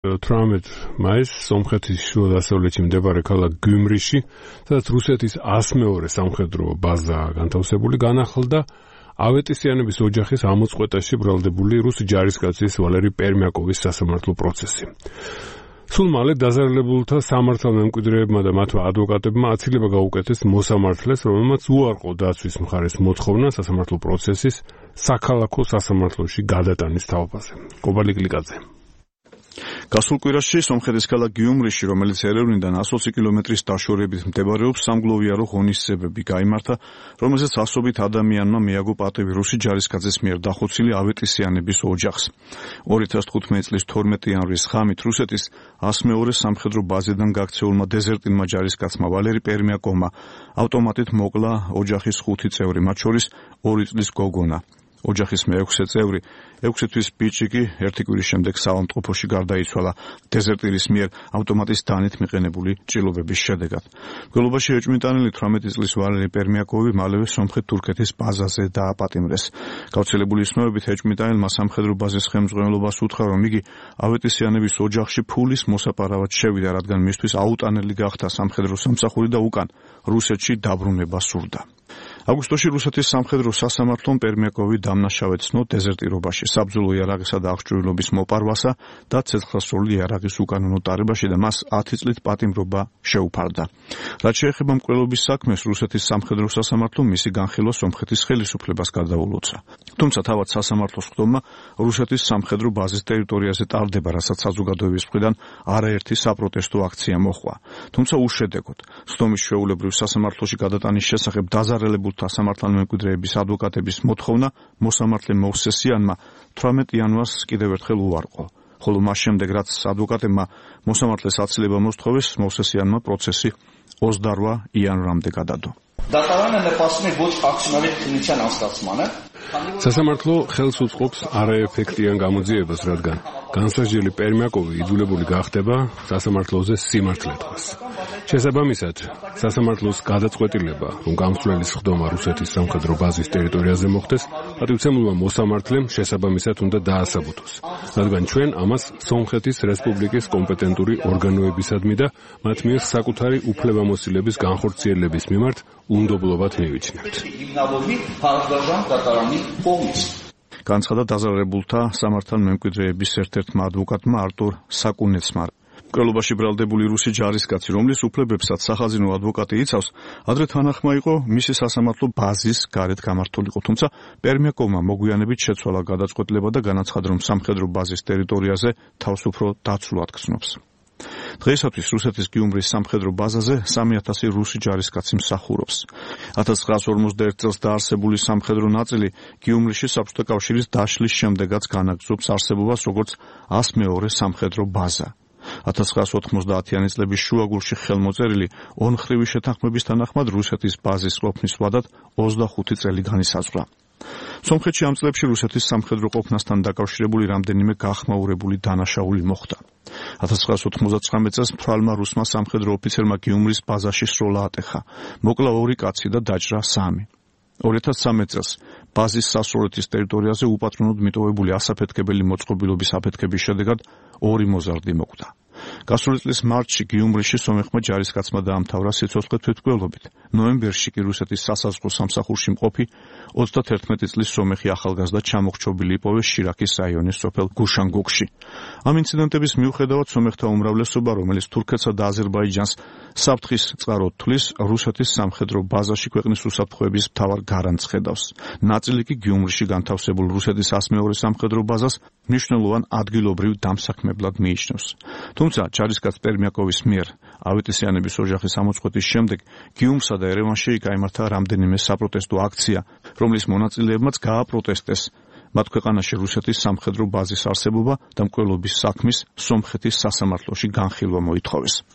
18 მაისს სომხეთის შუადასავლეთში მდებარე ქალაქ გიუმრიში, სადაც რუსეთის 102 სამხედრო ბაზა განთავსებული, განახლდა ავეტისიანების ოჯახის ამოწყვეტაში ბრალდებული რუსი ჯარისკაცის ვალერი პერმიაკოვის სასამართლო პროცესი. სულ მალე დაზარალებულთა სამართალმემკვიდრეებმა და მათმა ადვოკატებმა აცილება გაუკეთეს მოსამართლეს, რომელმაც უარყო დაცვის მხარეს მოთხოვნა სასამართლო პროცესის საქალაქო სასამართლოში გადატანის თაობაზე. კობალი კლიკაძე. გასულ კვირაში სომხეთის ქალაქ გიუმრიში, რომელიც ერევნიდან 120 კილომეტრის დაშორებით მდებარეობს, სამგლოვიარო ღონისძიებები გაიმართა, რომელზეც ასობით ადამიანმა მიაგო პატივი რუსი ჯარისკაცის მიერ დახოცილი ავეტისიანების ოჯახს. 2015 წლის 12 იანვრის ღამით რუსეთის 102 სამხედრო ბაზიდან გაქცეულმა დეზერტინმა ჯარისკაცმა ვალერი პერმიაკოვმა ავტომატით მოკლა ოჯახის 5 წევრი, მათ შორის 2 წლის გოგონა. ოჯახის მე-6 წევრი, 6 თვის ბიჭი კი ერთი კვირის შემდეგ საავადმყოფოში გარდაიცვალა დეზერტირის მიერ ავტომატის დანით მიყენებული ჭრილობების შედეგად. მგლობაში ეჭვმიტანილი 18 წლის ვალერი პერმიაკოვი მალევე სომხეთ-თურქეთის ბაზაზე დააპატიმრეს. გავრცელებული ცნობებით ეჭვმიტანილმა სამხედრო ბაზის ხელმძღვანელობას უთხრა, რომ იგი ავეტისიანების ოჯახში ფულის მოსაპარავად შევიდა, რადგან მისთვის აუტანელი გახდა სამხედრო სამსახური და უკან რუსეთში დაბრუნება სურდა. აგვისტოში რუსეთის სამხედრო სასამართლომ პერმიაკოვი დამნაშავედ ცნო დეზერტირობაში, საბრძოლო იარაღისა და აღჭურვილობის მოპარვასა და ცეცხლსროლი იარაღის უკანონო ტარებაში და მას 10 წლით პატიმრობა შეუფარდა. რაც შეეხება მკვლელობის საქმეს, რუსეთის სამხედრო სასამართლომ მისი განხილვა სომხეთის ხელისუფლებას გადაულოცა. თუმცა თავად სასამართლოს ხდომა რუსეთის სამხედრო ბაზის ტერიტორიაზე ტარდება, რასაც საზოგადოების მხრიდან არაერთი საპროტესტო აქცია მოჰყვა. თუმცა უშედეგოდ. ხდომის ჩვეულებრივ სასამართლოში გადატანის შესახებ დაზარალებულ სამართალმემკვიდრეების ადვოკატების მოთხოვნა მოსამართლე მოვსესიანმა 18 იანვარს კიდევ ერთხელ უარყო. ხოლო მას შემდეგ, რაც ადვოკატებმა მოსამართლეს აცილება მოსთხოვეს, მოვსესიანმა პროცესი 28 იანვრამდე გადადო. სასამართლო ხელს უწყობს არაეფექტიან გამოძიებას, რადგან განსაჯელი პერმიაკოვი იძულებული გახდება სასამართლოზე სიმართლე თქვას. შესაბამისად, სასამართლოს გადაწყვეტილება, რომ გამსვლელის ხდომა რუსეთის სამხედრო ბაზის ტერიტორიაზე მოხდეს, პატივცემულმა მოსამართლემ შესაბამისად უნდა დაასაბუთოს, რადგან ჩვენ ამას სომხეთის რესპუბლიკის კომპეტენტური ორგანოებისადმი და მათ მიერ საკუთარი უფლებამოსილების განხორციელების მიმართ უნდობლობად მივიჩნევთ. განცხადა დაზარალებულთა სამართალმემკვიდრეების ერთ-ერთმა ადვოკატმა არტურ საკუნეცმა. მკვლელობაში ბრალდებული რუსი ჯარისკაცი, რომლის უფლებებსაც სახაზინო ადვოკატი იცავს, ადრე თანახმა იყო მისი სასამართლო ბაზის გარეთ გამართულიყო, თუმცა პერმიაკოვმა მოგვიანებით შეცვალა გადაწყვეტილება და განაცხადა, რომ სამხედრო ბაზის ტერიტორიაზე თავს უფრო დაცულად გრძნობს. დღეისათვის რუსეთის გიუმრის სამხედრო ბაზაზე 3000 რუსი ჯარისკაცი მსახურობს. 1951 წელს დაარსებული სამხედრო ნაწილი გიუმრიში საბჭოთა კავშირის დაშლის შემდეგაც განაგრძობს არსებობას როგორც 102 სამხედრო ბაზა. 1990-იანი წლების შუაგულში ხელმოწერილი ონხრივი შეთანხმების თანახმად რუსეთის ბაზის ყოფნის ვადად 25 წელი განისაზღვრა. სომხეთში ამ წლებში რუსეთის სამხედრო ყოფნასთან დაკავშირებული რამდენიმე გახმაურებული დანაშაული მოხდა. 1999 წელს მთვრალმა რუსმა სამხედრო ოფიცერმა გიუმრის ბაზაში სროლა ატეხა. მოკლა 2 კაცი და დაჭრა 3. 2013 წელს ბაზის სასწორეთის ტერიტორიაზე უპატრონოდ მიტოვებული ასაფეთქებელი მოწყობილობის აფეთქების შედეგად 2 მოზარდი მოკვდა. გასული წლის მარტში გიუმრიში სომეხმა ჯარისკაცმა დაამთავრა სიცოცხლე თვითმკვლელობით. ნოემბერში კი რუსეთის სასაზღვრო სამსახურში მყოფი 31 წლის სომეხი ახალგაზრდა ჩამოხრჩობილი იპოვეს შირაქის რაიონის სოფელ გუშანგოგში. ამ ინციდენტების მიუხედავად სომეხთა უმრავლესობა, რომელიც თურქეთსა და აზერბაიჯანს საფრთხის წყაროდ თვლის, რუსეთის სამხედრო ბაზაში ქვეყნის უსაფრთხოების მთავარ გარანტს ხედავს. ნაწილი კი გიუმრიში განთავსებულ რუსეთის 102 სამხედრო ბაზას მნიშვნელოვან ადგილობრივ დამსაქმებლად მიიჩნევს. თუმცა ჯარისკაც პერმიაკოვის მიერ ავეტისიანების ოჯახის ამოწყვეტის შემდეგ გიუმსა და ერევანში გაიმართა რამდენიმე საპროტესტო აქცია, რომლის მონაწილეებმაც გააპროტესტეს მათ ქვეყანაში რუსეთის სამხედრო ბაზის არსებობა და მკვლელობის საქმის სომხეთის სასამართლოში განხილვა მოითხოვეს.